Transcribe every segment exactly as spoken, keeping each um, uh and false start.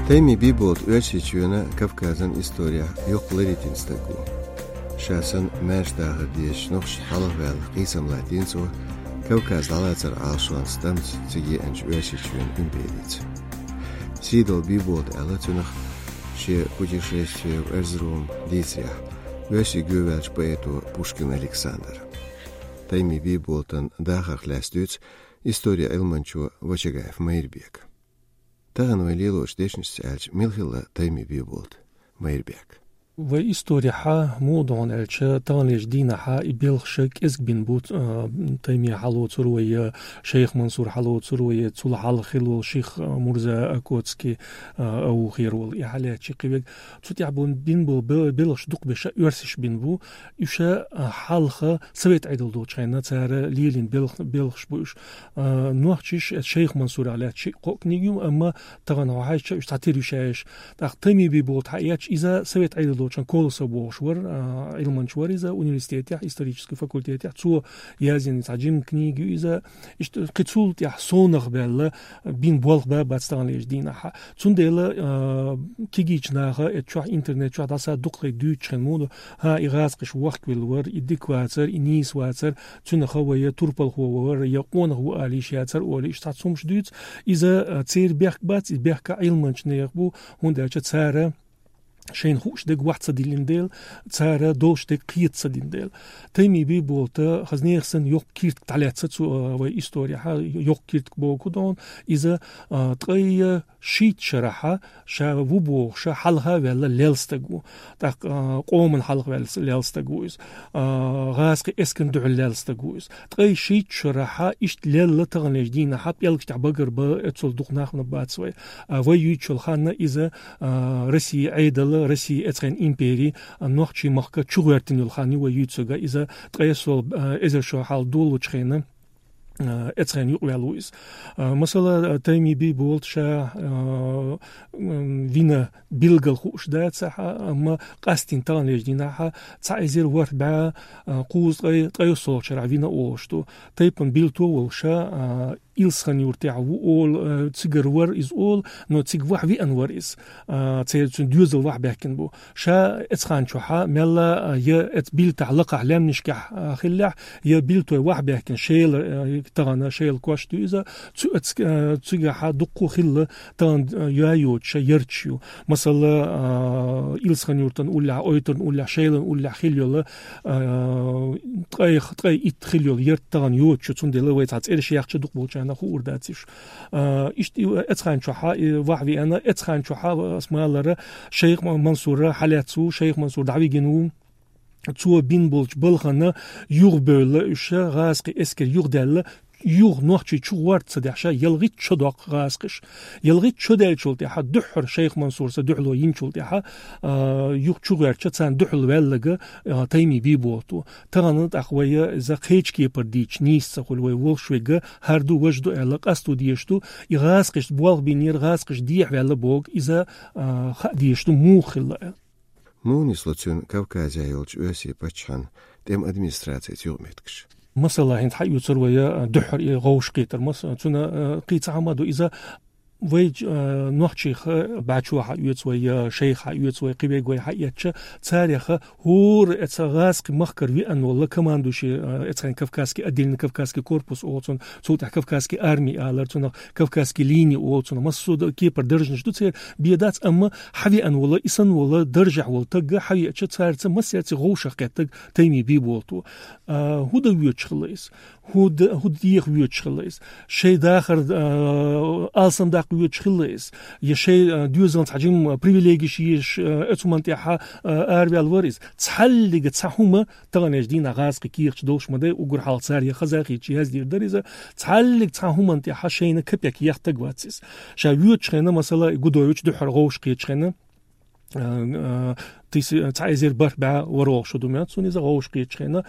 Тайми Бийболат Оьрсийчоьнан, Кавказан исторехь йоккха ларитина стаг ву. Ша санна маьрша дахар дезаш нохчашца хьалхаваьлла, къийсам латтийна цо, Кавказ дӀалацар Ӏалашонца, тӀамца цига еанчу Оьрсийчоьнан империца. Сийдолу Бийболат аьлла цунах шен «Путешествие в Эрзурум» дийцарехь Оьрсийчоьнна ваьллачу поэто Пушкин Александра. Тайми Бийболатан дахарх лаьцна дуьйцу историн Ӏилманчо Вачагаев Майрбека. Тахана вай лелочу дешнашца аьлча, мила хилла Тайми Бийболат, Майрбек? Вай исторехь, муха ду хьуна аьлча, таханлерчу дийнахь и белхаш кӀезиг бина бу, а, Тайми хьалоцур вай, я Шайх Мансур хьалоцур вай, я цул хьалха хилла волу Ших Мурза Окоцкий, а, Аухер волу, и хьалаьцча кхин верг. Цу тӀехь бу-, бина болу бе-, белхаш дукха беша оьрсаша бина бу. Уьш, а, хьалха совет Ӏедал долчу хенна цара лелийна белх-, белхаш бу уьш. А, нохчаша, эцу Шайх Мансурах лаьцна шиъ-кхоъ книга ю, амма тахана хьо хьаьжча, уьш цхьатерра ю шаьш. ТӀаккха Тайми Бийболат хьаэцча, иза совет Ӏедал долчу хенна Колосов бохуш вара, а, Ӏилманча вара иза университетехь, исторический факультетехь. Цо язйина цхьа жима книга ю иза. Иштта кхин цул тӀаьхьа сонах баьлла, бина болх бан бац таханлерчу дийнахь. Цундела, а, кегийчу наха, эцу чохь, интернет чохь дӀаса дукха хӀума дуьйцуш хилла муха ду, хӀан, и гӀазкхаша вохкавелла вара, и дика вацара, и нийса вацара, цуьнан хан вай я турпалхо вара, я къонах ву ала йиш яцара олий, иштта цхьацца хӀумаш дуьйцу. Иза, а, церан бехк бац, и бехк Ӏилманчу нехан бу, хӀунда аьлча цара шайна хууш дерг охьа ца диллина дела, цара долуш дерг кхета ца дина дела. Тайми Бийболата, хаза нехан санна, йоккха киртиг дӀалаьцна цу, а, вай исторехь, йоккха киртиг бохург ду хьуна, иза, а, ткъе шийтта шарахь ша ву бохуш хьалха ваьлла лелла стаг ву. ТӀаккха, а, къоман хьалха ваьлла лелла стаг ву иза. А, гӀазкхийн эскарна дуьхьал лелла стаг ву иза. Ткъе шийтта шарахь иштта лелла таханлерчу дийнахь пӀелгаш тӀехь багарбан эцул дукха нах бац вай. А, вай юьйцучу ханна иза, а, Россин Ӏедал, Россин эцхенан импери, а, нохчийн махка чугӀоьртина йолу хан ю вай юьйцург, иза ткъе сол, а, эзар шо хьалха долучу хенна, а, эцхенна юкъаваьлла ву иза. А, масала, а, Тайми Бийболат ша, а, м, вина билггал хууш дацахь, амма къастийна таханлерчу дийнахь цхьа эзар ворхӀ бӀе, а, кхузткъе, ткъе йоьссалгӀачу шарахь вина олуш ду. Тайпана Билто волуш, а, Илсхан-Юртехь ву олу, а, цигара вара иза олу, но цига вахь веана вара иза. А, церан цуьнан доьзал вахь баьхкина бу. Ша эцханчохь мелла, а, я эц Билтахь лакхахь лаьмнашкахь, а, хиллехь, я Билтой вахь баьхкина Шела, а, тахана Шела кошта ю иза, цу эц-, а, цигахь дуккха хилла тахана, а, йоцуш ярташ ю. Масала, а, Илсхан-Юртан уллехь, Ойтарна уллехь, Шелан уллехь хилла йолу, а, ткъе, ткъе итт хилла йолу ярт тахана йоцуш ю, цундела вай цхьа цӀераш яхча дукха болчарна хуур дац уьш. А, иштта и эцханчохь и вахь веана, эцханчохь ас ма-аллара, Шайх Ма-, Мансур хьалаьцна ву, Шайх Мансур дӀавигина ву. Цо бина болчу балхана юхабевлла уьш, гӀазкхийн эскар юхадаьлла, юха нохчий чугӀорта ца дехьа, ялхитта шо доккху гӀазкхаша. Ялхитта шо даьллачул тӀаьхьа дуьххьара Шайх Мансура дуьхьало йинчул тӀаьхьа, а, юха чугӀоьртича царна дуьхьал ваьлларг, а, Тайми Бийболат ву. Тахана тӀаккха вай иза кхечу кепара дийцича нийса ца хуьлу, вай волуш верг хӀара ду, важа ду аьлла, къасто дезаш ду, и гӀазкхашца болх бинера, гӀазкхаша дехьаваьлла бохург иза, а, хаа дезаш ду, муха хилла аьлла. Муха нисло цуьнан Кавказехь йолчу Оьрсийн паччахьан тӀеман администрацица юкъаметтигаш? Масала, хӀинца хьаоьцур вай, а, дуьххьара и гӀовшахкхетар, мас-, цуьнан, а, кхин цхьа хӀума ду иза, вай, а, нохчех бӀе чо хьаоьцу вай, я шайх хьаоьцу вай, кхин верг вай хьаэцча, царех хӀора эца гӀазкхийн махкара веана волу командующий, а, эцхенан Кавказский, отдельный Кавказский корпус олу цунах, цул тӀаьхьа Кавказский армия алара цунах, Кавказский линия олу цунах, массо а кепара даржанаш ду церан, бен дац, амма хьавеана волу, и санна волу, даржехь волу таг хьавеача, цаьрца массаьрца гӀовшах кхеттарг Тайми Бийболат ву. А, хӀун дан воьдуш хилла иза? ХӀун д-, хӀун деха воьдуш хилла иза? Шайн дахар, а, алсам даккха воьдуш хилла иза? Я шайн, а, доьзална цхьа жимма привилегиш езаш, а, оцу хӀуманна тӀехь, а, араваьлла вара иза? Цхьаллига цхьа хӀума таханлерчу дийнахь гӀазкхийн кехаташ долуш ма дай, уггар хьалха цара я хаза хетча яздийр дара иза. Цхьаллиг цхьа хӀуманна тӀехь шайна капек ехь таг вац иза. Ша воьдучу хенна, масала, Гудович дуьххьара гӀовшахкхетачу хенна, а, а, тиси-, цхьа эзар бархӀ бӀе ворхӀалгӀа шо ду моьтту суна иза, гӀовшахкхетачу хенна,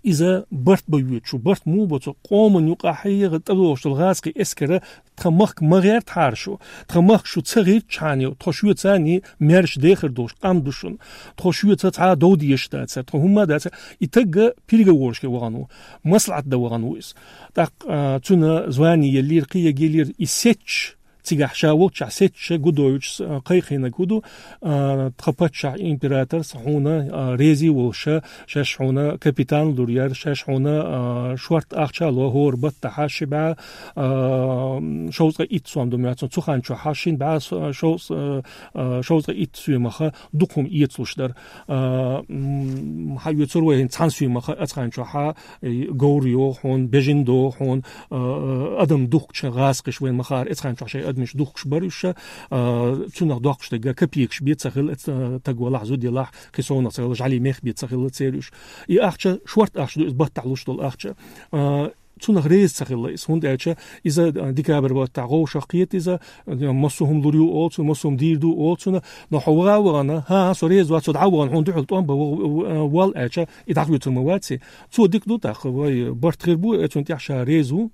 иза барт бан воьдуш ву. Барт муха бо цо? Къоман юкъахь хьегӀа тӀедогӀуш долу гӀазкхийн эскара тхан махка ма гӀертахьара шу. Тхан махка шу ца гӀиртчхьана, тхо шуьца а маьрша дехар долуш къам ду шуна. Тхо шуьца цхьа а дов дезаш дацара, тхо хӀумма а дацара. И таг переговорашка вахана ву, маслаӀат дан вахана ву иза. ТӀаккха, а, цуьнан звани еллера, кхин ерг еллера, и сецча, Цигахь ша волччахь сецча Гудовича, а, кхайкхийнарг хӀу ду, а, тха паччахь императорс хьуна, а, реза волуш, шаьш хьуна капитан лур яра, шаьш хьуна, а, шортта ахча а ло, хӀора баттахьа ши бӀаь, а, м, шовзткъе итт сом ду моьтту суна, цу хан чохьа шин бӀаь со-, шовз-, а, а, шовзткъе итт соьмах дукха хӀума эцалуш дара. А, м, хьаоьцур вай хӀинца цхьана соьмах, оцу хан чохьа, э, говр йо хьуна, бежан до хьуна, э, адам духкучу гӀазкхаша вайн ма хаара, оцу хан чохь шайн адамаш духкуш бара уьш, э, цунах доккхуш дерг копейкаш бен ца хилла, э, таг валахь, зуда елахь, кхин совнах ца хилла, жӀаьлий мех бен ца хилла церан уьш. И ахча, шортта ахча ду иза, баттахь луш долу ахча. Э, цунах реза ца хилла иза, хӀунда аьлча иза, э, декабрь баттахь вовшах кхета иза, э, массо а хӀума лур ю олу цунна, массо а хӀума дийр ду олу цунна, но хьо ваха а вахана, хӀан-хӀа, со реза вац, со дӀа а вахана, хьуна дуьхьал тӀом бан, в-, в-, вал аьлча, и дӀахоьцур ма вац и. Цо дика ду тӀаккха, вай барт хир бу, э, цунна тӀехь ша реза ву,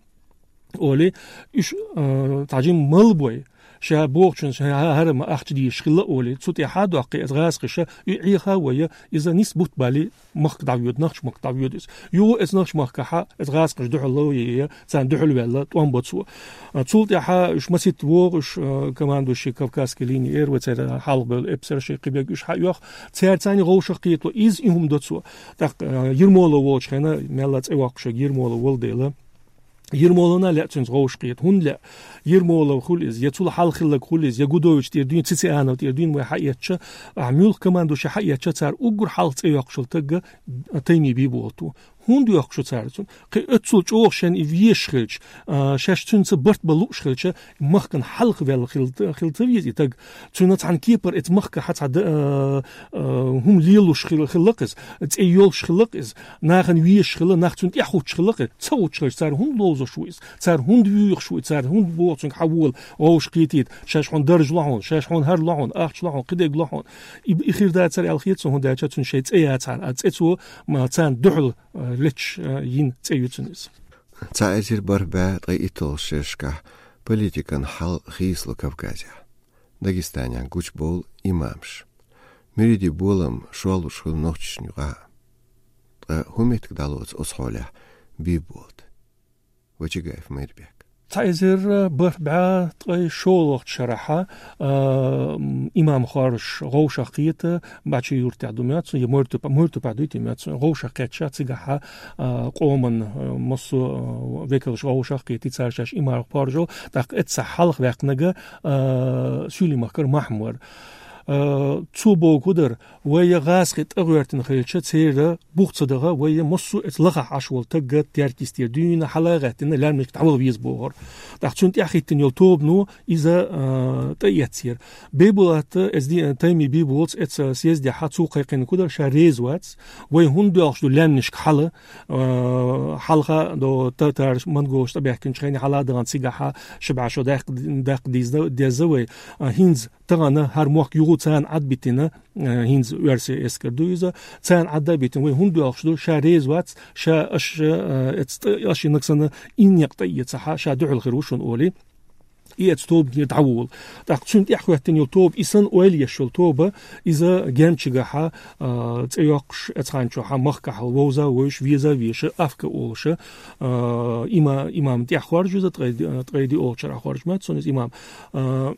олий, уьш, э, цхьа жимма мала бой, ша бохучун ша хӀа-, хӀара ма ахча дезаш хилла олий, цу тӀехьа доккхий, иза гӀазкхаша, и Ӏеха а вай, иза нисса бутт балий, махка дӀавоьду, нохча махка дӀавоьду иза. Юха иза нохча махкахьа, иза гӀазкхаша дуьхьал ло е, царна дуьхьал ваьлла, тӀом бо цо. А, цул тӀаьхьа уьш маситта вогӀу, уьш, а, командующий Кавказской линии эр вай, церан хьалха бевлла эпсарш, кхин берг уьш хьа а йоьху, цаьрца цхьаьна вовшах кхетало, иза и хӀума до цо. ТӀаккха, а, Ермолов волчу хенахь, мелла цӀе йоккхуш ерг Ермолов волу дела, Ермоловна лаьа цуьнца вовшах кхета. ХӀунда лаьа? Ермолов хуьлу иза, я цул хьалха хилларг хуьлу иза, я Гудович тӀера дуьйна, Цицианов тӀера дуьйна вай хьаэцча, ахь муьлхха командующий хьаэцча, цара уггар хьалха цӀе йоккхуш йолу таг, а, Тайми Биболат ву. ХӀунда йоккхуш ю цара цунна? Кхин оццул чӀогӀа шен и везаш хилча, а, шаьш цуьнца барт бан лууш хилча, махкана хьалха ваьлла хила, хила ца веза и таг. Цуьнан цхьана кепара эца махкахьа цхьа д-, а, а, хӀума лелош хила, хилла-кх иза, цӀе йолуш хилла-кх иза, нахана везаш хилла, нах цунна тӀаьхьа хӀуттуш хилла-кх иза. Ца хӀуттуш хилча, цара хӀунда ловзуш ву иза? Цара хӀунда вуьйхуш ву иза? Цара хӀунда боху цуьнга хьан вола, вовшах кхетийта, шаьш хьуна дарж ло хьуна, шаьш хьуна хӀара ло хьуна, ахча ло хьуна, кхидерг ло хьуна? И, и хир дацара аьлла хета суна, хӀунда аьлча цуьнан шайн цӀе яцахьара, а цӀе цо, м, царна дуьхьал, а, летташ, а, йина цӀе ю цуьнан иза. Цхьа эзар бархӀ бӀе ткъе итталгӀачу шерашкахь политикан хьал хийцало Кавказехь. Дагестанехь гучубовлу имамаш. Муьридийн болам шорлуш хуьлу нохчашна юкъахь. Ткъа хӀун меттиг дӀалоцу оцу хьолехь Биболата? Вачагаев Майрбек. Цхьа эзар бархӀ бӀе ткъе шолгӀачу шарахьа, а, имам хоржуш вовшах кхета, Бачи-Юртехь ду моьтту суна, я Мортупа-, Мортупахь дуй те моьтту суна, вовшах кхетча цигахьа, а, къоман, а, массо а, а, векалш вовшах кхетий, цара шаьш имам хоржу, тӀаккха эцца хьалха ваьккхинарг, а, Суьйлийн махкара Махьмар. А, цо бохург хӀун дара, вай гӀазкхий тӀегӀоьртина хилча, церан бух ца даха, вай массо а эца лахахь Ӏаш волу таг Теркйист тӀера дуьйна, хьала а гӀаьттина, лаьмнашка дӀаваха веза бохура. ТӀаккха цуьнан тӀаьхьахӀиттина йолу тобано иза, а, тӀеэцнера. Биболат, эца ди-, Тайми Биболата эца съездехьа цо кхайкхийнарг хӀун дара, ша реза вац, вай хӀунда доьлхуш ду лаьмнашка хьала, а, хьалха до татараш, монголаш тӀебаьхкинчу хенахь хьала а дахана цигахьа, ши бӀе шо даккха, даккха дийза-, деза вай, а, хӀинца тахана хӀара мохк юха царна Ӏад а битина, а, хӀинца оьрсийн эскар ду иза, царна Ӏад а битина, вай хӀунда доьлхуш ду, ша реза вац, ша аша, а, эца тӀе-, аша и нагахь санна и некъ тӀеэцахьа, ша дуьхьал хир ву шуна олий. И эца тобанера дӀаволу. ТӀаккха цуьнан тӀаьхьахӀоьттина йолу тоба, и санна ойла еш йолу тоба, иза Гермчигахьа, а, цӀе йоккхуш, эцхьанчохьа махкахьа вовза а вовзуш, веза а везаш, Афка олуш, а, има-, имам тӀехь хоржу иза, ткъе, ткъе диъолгӀачу шарахь хоржу моьтту суна иза имам. А,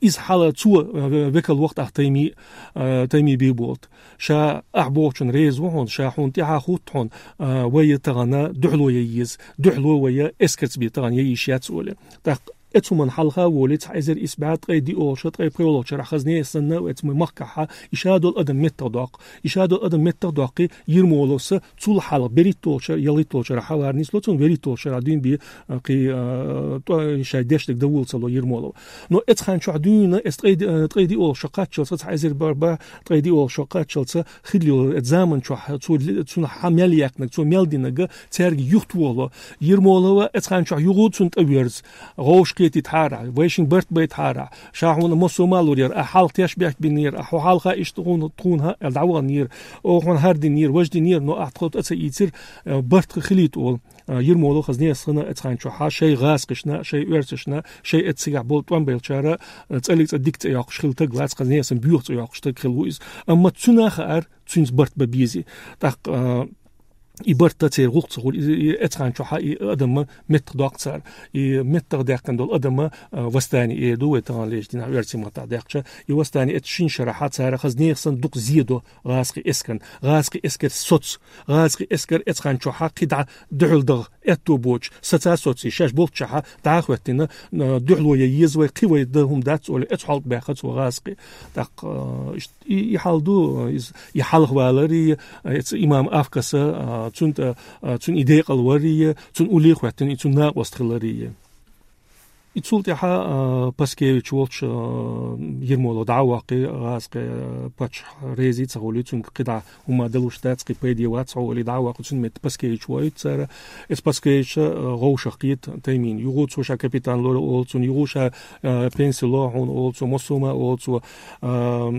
иза хьала цо, а, ве-, векал вахтахь Тайми, а, Тайми Биболат. Ша ахь бохучун реза ву хьуна, ша хьуна тӀаьхьа хӀутту хьуна, а, вай тахана дуьхьало ян еза, дуьхьало вай эскарца бен тахана ян йиш яц олий. ТӀаккха эцу хӀуманна хьалха а волий, цхьа эзар исс бӀе ткъе диъолгӀачу, ткъе пхоьалгӀачу шарахь хазне а санна, эца махкахьа, и ша долу адам меттах доккху. И ша долу адам меттах доккхий, Ермоловс цул хьалха берхӀитталгӀачу шара, ялхитталгӀачу шарахь хьавар нисло цунна, берхӀитталгӀачу шарахь дуьйна бен, а, кхин, а, тӀо-, шайн дешниг дан вула ца ло Ермолов. Но эцхьанчохь дуьйна, эца ткъе ди-, а, ткъе диъолгӀачу шо кхаччалца, цхьа эзар бархӀ бӀе ткъе диъолгӀачу шо кхаччалца, хилла йолу эца заманчохь, цо ли-, цунна хьан мел яьккхинарг, цо мел динарг, цаьрга юхатохало. Ермолов эцхьанчохь юха цунна тӀеверза. ГӀовш кхетийтахьара, вайшинга барт байтахьара, ша хьуна массо а ма лур яра, ахь хьалха тешнабехк бинера, ахь хьо хьалха иштта хьуна, тхуна хӀа-, аьлла дӀаваханера, оха хьуна хӀара динера, важа динера, но ахь тхо тӀе ца ийцира, э, барт хилийта олу. Э, Ермолов хазне а санна, эцхьанчохьа шайн гӀазкхашна, шайн оьрсашна, шайн эца цигахь болу тӀом баьллачара, э, цӀаллиг цӀа дика цӀе йоккхуш хилла таг вац, хазне а санна боьха цӀе йоккхуш таг хилла ву иза. Амма цуьнан а хаьара, цуьнца барт бан безий. ТӀаккха, э, и барт церан гӀуллакх ца хуьлу, и, и, эцхьан чохьа и адам меттах доккху цара. И меттах даьккхина долу адам, а, восстание эр ду вай таханлерчу дийнахь оьрсийн маттахь даьккхича. И восстание эцу шина шарахьа цара хаза нехан санна дукха зе до гӀазкхийн эскарна. ГӀазкхийн эскар соц, гӀазкхийн эскар эцхьан чохьа кхидӀа дуьхьал даха аьтто боцуш, саца соций, шаьш болччохьа дӀа а хӀоьттина, а, дуьхьало ян еза вай, кхин вай дан хӀума дац, олий, эцу хьалта баьхна цо гӀазкхи. ТӀаккха, а, иштта И, и хьал ду, иза, и хьалха валар, и, а, эца имам Авкаса, а, цун тӀа, а, цун и декъал вар, и, цун улле а хӀоьттина, и цун накъост хилар, и. И цул тӀаьхьа, а, Паскевич волчу, а, Ермолов дӀа а ваккхий, гӀазкхи, а, паччахь реза ца хуьлий, цуьнга кхидӀа хӀума далуш дац, кхин пайде вац хьо, олий, дӀа а ваккхий, цуьнан метта Паскевич воуьйту цара. Эца Паскевича, а, вовшах кхета Таймина. Юха цо ша капитан лора олу цунна, юха ша, а, пенси ло хьуна олу цо, массо а ма олу цо, а,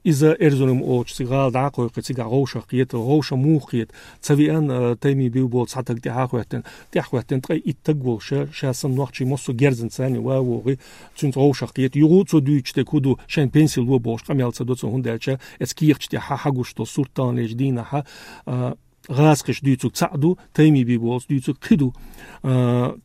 иза Эрзурум олучу цига гӀала дӀа а кхойкхий, цигахь вовшах кхета, вовшах муха кхета, ца веана, а, Тайми бив болу цхьа таг тӀаьхьа а хӀоьттина, тӀаьхьа хӀоьттина, ткъе итт таг волуш, ша санна нохчий массо а герзан царна ван вогӀий, цуьнца вовшах кхета. Юха цо дуьйцуш дерг хӀун ду, шайна пенси ло бохуш къамел ца до цо, хӀунда аьлча эца кехаташ тӀехь хьагуш долу сурт таханлерчу дийнахьа, а, гӀазкхаша дуьйцург цхьаъ ду, Тайми бив болуш дуьйцург кхин ду. А,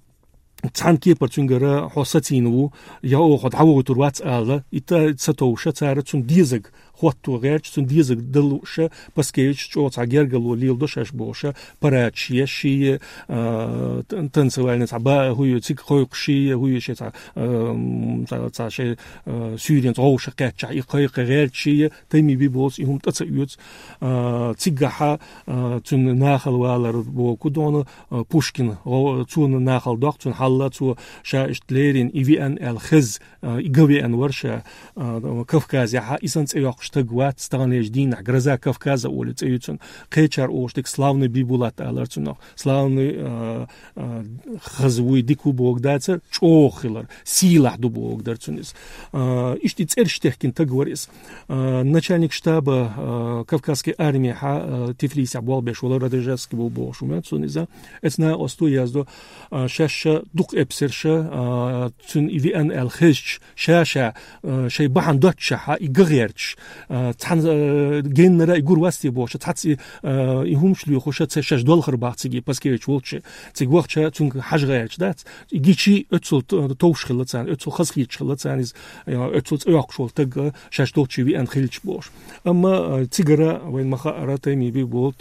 цхьана кепара цуьнгара хьо сацийна ву, я оха хьо дӀавохуьйтур вац ала, и та ца товша цара цунна дезаг хӀотто гӀерташ, цунна дезаг далуша, Паскевич чӀогӀа цхьа гергарло леладо шаьш бохуша, парадаш еш ший, а, тан-, танцевальный цхьа ба-, хӀуй, цига кхойкхуш ший, хӀуй, шен цхьа, а, м, цхьа, цхьа шен, а, суьйренца вовшах кхетчахь, и кхайкха гӀерташ ший, Тайми бив болуш и хӀума тӀе ца оьцу. А, цигахьа, а, цуьнан нахала валар боху дона, а, Пушкин, гӀо-, цо нахала доккху, цуьнан хьалла цо ша иштта лерина, и веана аьлла хеза, а, и ган веана вара ша, а, Кавказехьа, и санна цӀе йоккхуш таг вац, таханлерчу дийнахь Гроза Кавказа олий цӀе ю цуьнан. Кхечара олуш дерг славный Бибулат алара цунах. Славный, а, а, хаза вуй, дика ву бохург дацара, чӀогӀа хилар, сийлахь ду бохург дара цуьнан иза. А, иштта и цӀераш техкина таг вара иза. А, начальник штаба, а, Кавказской армии хьа, а, Тифлисехь болх беш вала Радожевский ву бохуш ву моьтту суна иза. Эца накъосто яздо, а, шаьш ша дукха эпсарша, а, цуьнан и веана аьлла хезча, ша-ша, а, шайн бахьана доццушехьа, и ган гӀерташ, а, цхьана, а, геннара и гур вац те бохуша, цхьацца и, а, и хӀумаш лоьхуша, ца шаьш долхар бах цига, Паскевич волчу, цига вахча цуьнга хьажа гӀерташ дац. И гичи оьцул т-, товш хилла царна, оьцул хаза хеташ хилла царна иза, а, оьцул цӀе йоккхуш волу таг, а, шаьш долчу веана хилча бохуш. Амма, а, цигара вайн ма хаара, Тайми бив болу.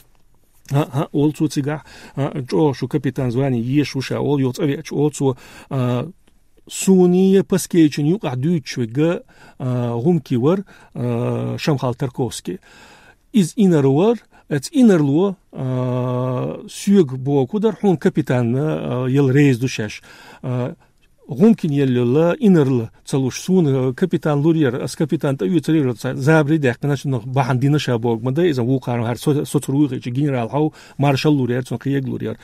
ХӀаъ, хӀаъ, олу цо цигахь, а, чӀогӀа шу капитан звание еш ву ша, олу, йо цӀа веача, олу цо, а, суна я Паскевичан юкъахь дуьйцуш верг, а, гӀумки вара, а, Шамхал Тарковский. Иза инар вара, эца инарло, а, соьга боху дара, хьуна капитан, а, яла реза ду шаьш. А, гӀумкина елла йолла инарла ца луш, суна капитан лур яра, ас капитан тӀе оьцур яра, ца забаре даьккхина, цунах бахьана дина ша бохург ма дай, иза вукхара хӀара со-, соцур вуй хилча, генерал хьов, маршал лур яра, цунна кхиег лур яра.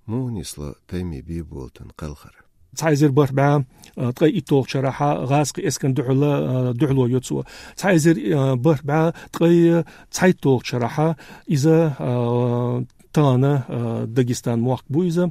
Муха нисло Тайми бив болу тан кхалхар? Цхьа эзар бархӀ бӀе, а, ткъе итталгӀачу шарахьа гӀазкхийн эскарна дуьхьала, а, дуьхьало йо цо. Цхьа эзар, а, бархӀ бӀе ткъе цхьайтталгӀачу шарахьа иза, а, тахана, а, Дагестан мохк бу иза.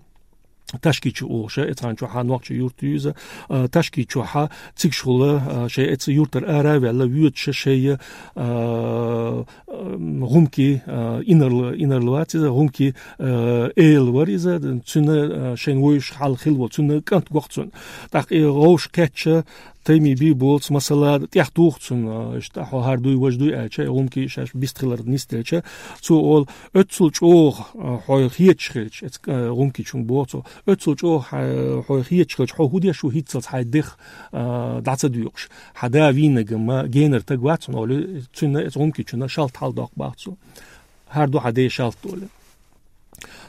Ташкичу олуша, эцхьан чохьа нохча юрт ю иза, а, Ташкичу чохьа цигаш хула, а, шайн эца юртара ара а ваьлла, воьдуша шайя, а, а, гӀумки, а, инарла, инарла вац иза, гӀумки, а, эла вара иза, цуьнан, а, шайн вуйш хьал хилла волу, цуьнан кӀант гоху цунна. ТӀаккха и гӀовш кхетча, Тайми бий болц, масала, тӀех туху цунна, а, иштта хьо хӀара дуй, важа дуй аьлча, и гӀумки шаьш бист хилар нисделча, цо олу, оьццул чӀогӀа, а, хьой хеташ хилча, эц-, а, гӀумки чунга боху цо, оьццул чӀогӀа хьа-, хьой хеташ хилча, хьо хӀун деш ву хӀинццалц хьайн дех, а, дӀа ца доькъуш? Хьан да вийнаг ма генара таг вац хьуна, олу, цуьнан эц гӀумки чунна шалт хьал доккху бах цо. ХӀара ду хьан ден шалт, олу.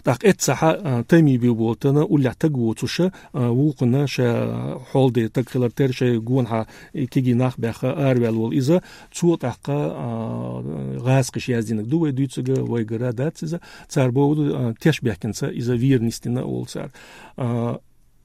ТӀаккха эццахьа, а, Тайми бий болтана уллехь таг воцуша, а, вукхана ша хьолде таг хилар тера шай гонахьа и киги нах баьхха араваьлла волу иза, цо тӀаккха, а, гӀазкхиш яздинаг ду вай дуьйцуга, вайгара дац иза, цара боху, а, теш бехкинца иза вийр нисдина олу цара. А,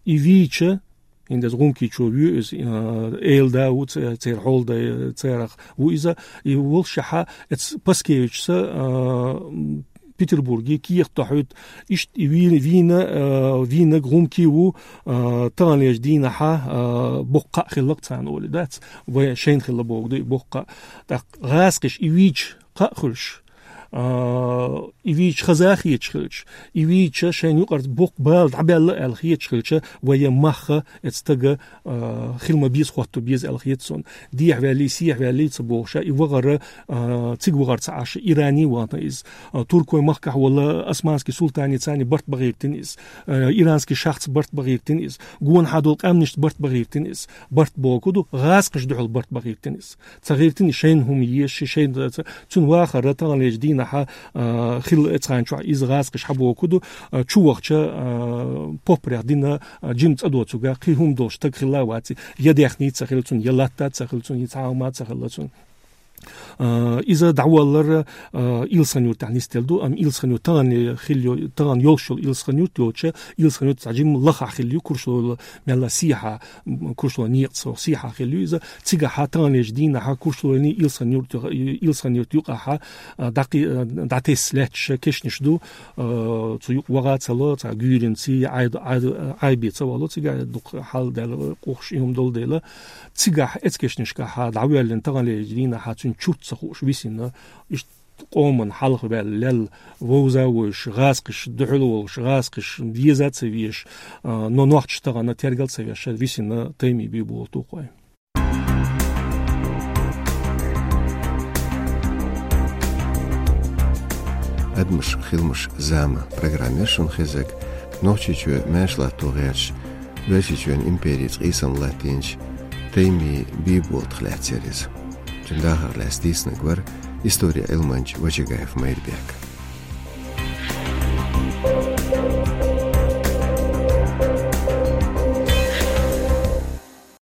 и вийча, хӀинца гӀумкичо ву иза, а, эла да ву ца-, церан хьолда, царах ву иза, и волшехьа, эц Паскевичса, а, Петербурге кехат дохьуьйту, иштта и вийна, вийна, а, вийнаг гӀумки ву, а, таханлерчу дийнахьа, а, боккха кхаъ хилла-кх царна, олий дац, вай шайна хилла боху ду и боккха кхаъ. ТӀаккха гӀазкхиш и вийча кхаъ хуьлуш, а, и вийча хаза хеташ хилча, и вийча шайна юкъарца боккха бала дӀабаьлла аьлла хеташ хилча, вай мах эцу стага, а, хила ма беза, хӀотта беза аьлла хета сона. Дехьаваьллий, сехьаваьллий ца бохуш, и вахара, а, цига вахара ца Ӏаш, Иране вахана иза. А, туркой махкахь волу османский султанца барт бан гӀиртина иза. А, иранский шахца барт бан гӀиртина иза. Гонахьа долу къаьмнашца барт бан гӀиртина иза. Барт бохург ду, гӀазкхашна дуьхьал барт бан гӀиртина иза. Ца гӀиртина шайна хӀума езаш, шайна ца-, цуьнан вахара таханлерчу дийнахьа, а, хилла эцхьан чохь иза гӀазкхаша хьабохург ду, а, чу вахча, а, поппарех дина, а, жима цӀа доцург, кхин хӀума долуш стаг хилла а вац, я даьхни ца хилла цуьнан, я латта ца хилла цуьнан, я цхьа хӀума ца хилла цуьнан. А, иза дӀаваллара, а, Илсхан-Юртахь нисделла ду, амма Илсхан-Юрт тахана хилла йо-, тахана йолуш йолу Илсхан-Юрт йолча, Илсхан-Юрт цхьа жима лахахь хилла ю, Куршлойла мелла сехьа, м, Куршлойн некъаца сехьа хилла ю иза. Цигахьа таханлерчу дийнахьа Куршлойний Илсхан-Юрт, Илсхан-Юрт юкъахьа, а, дӀакхи-, а, дӀатесса лаьтташ кешнаш ду, а, цу юкъа ваха ца ло, цхьа гуьйренций, Ӏай-, Ӏай-, Ӏайби ца вало, цигахь дукха хьал даьлла, къухаш и хӀума долу дела. Цигахь эцкешнашкахьа дӀавоьллина таханлерчу дийнахьа цуьнан чурт ца хууш висина, иштта къоман хьалха ваьлла лелла, вовза а вовзуш, гӀазкхаша дуьхьал а волуш, гӀазкхаша веза а ца везаш, а, но нохчаша тахана тергал а ца веш, висина Тайми Бийболат ву-кх вай. «Адамаш, хиламаш, зама» программера шуна хезарг Нохчийчоь маьрша латто гӀерташ, Оьрсийчоьнан империца къийсам латтийначу Тайми Бийболатах лаьцна яра иза. Цуьнан дахарх лаьцна дийцинарг вара историн Ӏилманча Вачагаев Майрбек.